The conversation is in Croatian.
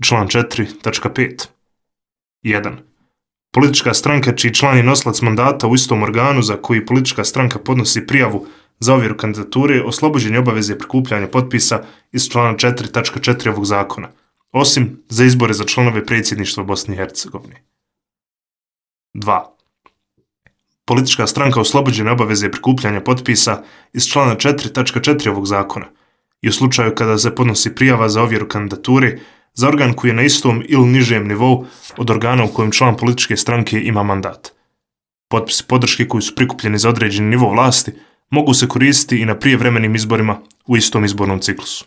Član 4.5. 1. Politička stranka čiji član je nosilac mandata u istom organu za koji politička stranka podnosi prijavu za ovjeru kandidature oslobođen je obaveze prikupljanja potpisa iz člana 4.4 ovog zakona, osim za izbore za članove predsjedništva Bosne i Hercegovine. 2. Politička stranka oslobođena je obaveze prikupljanja potpisa iz člana 4.4 ovog zakona i u slučaju kada se podnosi prijava za ovjeru kandidature za organ koji je na istom ili nižem nivou od organa u kojem član političke stranke ima mandat. Potpisi podrške koji su prikupljeni za određeni nivo vlasti mogu se koristiti i na prijevremenim izborima u istom izbornom ciklusu.